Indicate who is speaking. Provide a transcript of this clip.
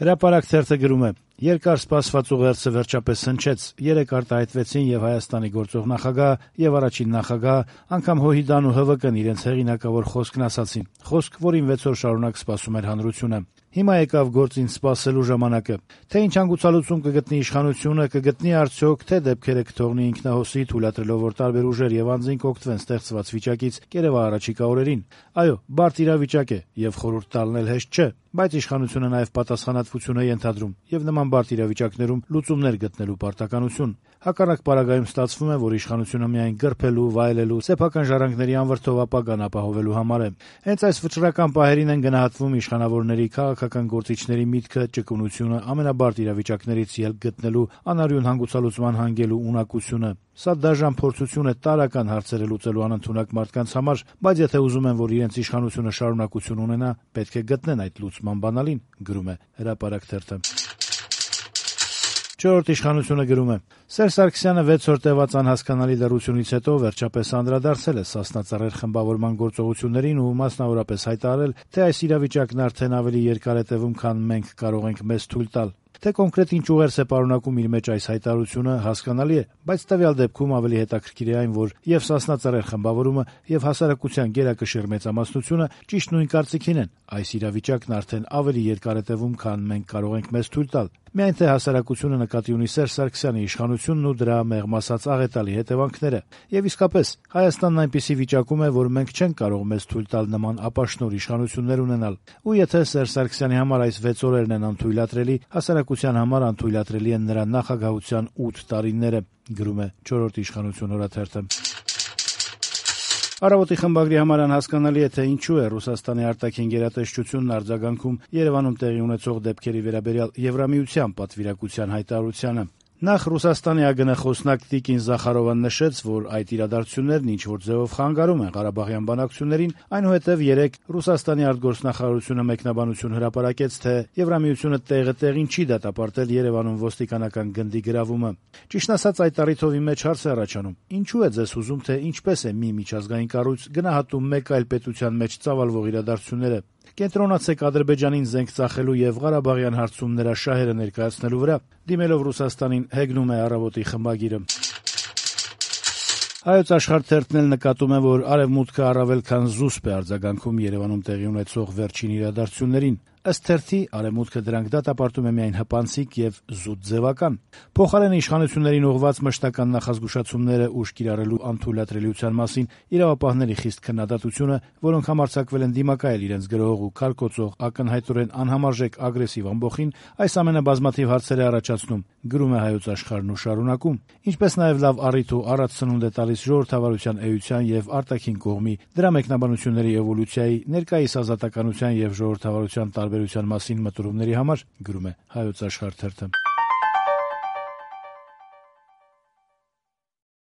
Speaker 1: Հրապարակ թերթը գրում է. երկար սպասված ուղերձը վերջապես հնչեց, 3 արտահայտվեցին եւ Հայաստանի գործող նախագահ եւ առաջին նախագահ, անգամ ՀՅԴ-ն ու ՀՎԿ-ն իրենց հեղինակավոր խոսքն ասացին, խոսք, որին 6 օր շարունակ սպասում էր հանրությունը։ Հիմա եկավ գործին սպասելու ժամանակը։ Թե ինչ հանգուցալուծում կգտնի իշխանությունը, կգտնի արդյոք, թե դեպքերը կթողնի ինքնահոսի, թույլատրելով, որ տարբեր ուժեր եւ անձինք օգտվեն ստեղծված վիճակից կերեւա առաջիկա օրերին։ Այո, բարդ իրավիճակ է եւ խորհուրդ տալն էլ հեշտ չէ, բայց իշխանությունը նաեւ պատասխանատվություն է ենթադրում եւ նման բարդ իրավիճակներում լուծումներ գտնելու պարտականություն։ Հակառակ պարագայում ստացվում է, որ իշխանությունը միայն գրփելու, վայելելու, սեփական ժառանգների անվրդով ապագան ապահովելու համար է։ Հենց այս վճռական պահերին են գնահատվում իշխանավորների, քաղաքական գործիչների միտքը, ճկունությունը, ամենաբարդ իրավիճակներից ելք գտնելու, անարյուն հանգուցալուծման հանգելու ունակությունը։ Սա դաժան փորձություն է տարրական հարցերը լուծելու անընդունակ մարդկանց համար, բայց եթե ուզում են, որ իրենց իշխանությունը շարունակություն ունենա, պետք է գտնեն այդ լուծման բանալին, գրում է Հրապարակ թերթը։ Չորրորդ իշխանությունը գրում է. Սերժ Սարգսյանը 6 օր տևած անհասկանալի լռությունից հետո վերջապես անդրադարձել է Սասնա Ծռեր խմբավորման գործողություններին ու մասնավորապես հայտարարել, թե այս իրավիճակն արդեն ավելի երկար է տևում, քան մենք կարող ենք մեզ թույլ տալ։ Թե կոնկրետ ինչ ուղերձ է պարունակում իր մեջ այս հայտարարությունը, հասկանալի է, բայց տվյալ դեպքում ավելի հետաքրքիր է այն, որ եւ Սասնա Ծռեր խմբավորումը եւ հասարակության գերակշիռ մեծամասնությունը ճիշտ նույն կարծիքին են։ Այս իրավիճակն արդեն ավելի երկար է տևում, քան մենք կարող ենք մեզ թույլ տալ։ Միայն թե հասարակությունը նկատի ունի Սերժ Սարգսյանի իշխանությունն ու դրա մեղմ ասած աղետալի հետևանքները։ Եվ իսկապես, Հայաստանն այնպիսի վիճակում է, որ մենք չենք կարող մեզ թույլ տալ նման ապաշնոր իշխանություններ ունենալ։ Ու եթե Սերժ Սարգսյանի համար այս 6 օրերն են անթույլատրելի, հասարակության համար անթույլատրելի են նրա նախագահության 8 տարիները, գրում է 4-րդ իշխանություն օրաթերթը։ Առավոտի խմբագրի համար անհասկանալի է, թե ինչու է Ռուսաստանի արտաքին գերատեսչությունն արձագանքում Երևանում տեղի ունեցող դեպքերի վերաբերյալ Եվրամիության պատվիրակության հայտարարությանը։ Նախ Ռուսաստանի ԱԳՆ խոսնակ Տիկին Զախարովան նշեց, որ այդ իրադարձություններն ինչ-որ ձևով խանգարում են Ղարաբաղյան բանակցություններին, այնուհետև երեկ Ռուսաստանի արտգործնախարարությունը մեկնաբանություն հրապարակեց, թե Եվրամիությունը տեղը տեղին չի դատապարտել Երևանում ոստիկանական գնդի գրավումը։ Ճիշտն ասած, այդ առիթով իմ մեջ հարց է առաջանում. ինչու է ձեզ հուզում, թե ինչպես է մի միջազգային կառույց գնահատում մեկ այլ պետության մեջ ծավալվող իրադարձությունները։ Կենտրոնացեք Ադրբեջանին զենք ծախելու եւ Ղարաբաղյան հարցում նրա շահերը ներկայացնելու վրա, դիմելով Ռուսաստանին, հեգնում է Առավոտի խմբագիրը։ Հայոց Աշխարհ թերթն էլ նկատում է, որ Արևմուտքը առավել քան զուսպ է արձագանքում Երևանում տեղի ունեցող վերջին իրադարձություններին։ Ըստ թերթի, Արևմուտքը դրանք դատապարտում է միայն հպանցիկ եւ զուտ ձևական։ Փոխարենը իշխանություններին ուղղված մշտական նախազգուշացումները ուժ կիրառելու անթույլատրելիության մասին իրավապահների խիստ քննադատությունը, որոնք համարձակվել են դիմակայել իրենց գրող ու քարկոծող ակնհայտորեն անհամարժեք ագրեսիվ ամբոխին, այս ամենը բազմաթիվ հարցեր է առաջացնում, գրում է Հայոց Աշխարհն ու շարունակում, ինչպես նաեւ լավ առիթ ու առած սնունդ է տալիս ժողովրդավարության էության եւ արտաքին կողմի, դրա մեկնաբանությունների էվոլյուցիայի, ներկայիս ազատականության եւ ժողովրդավարության տարբերության մասին մտորումների համար, գրում է Հայոց Աշխարհ թերթը։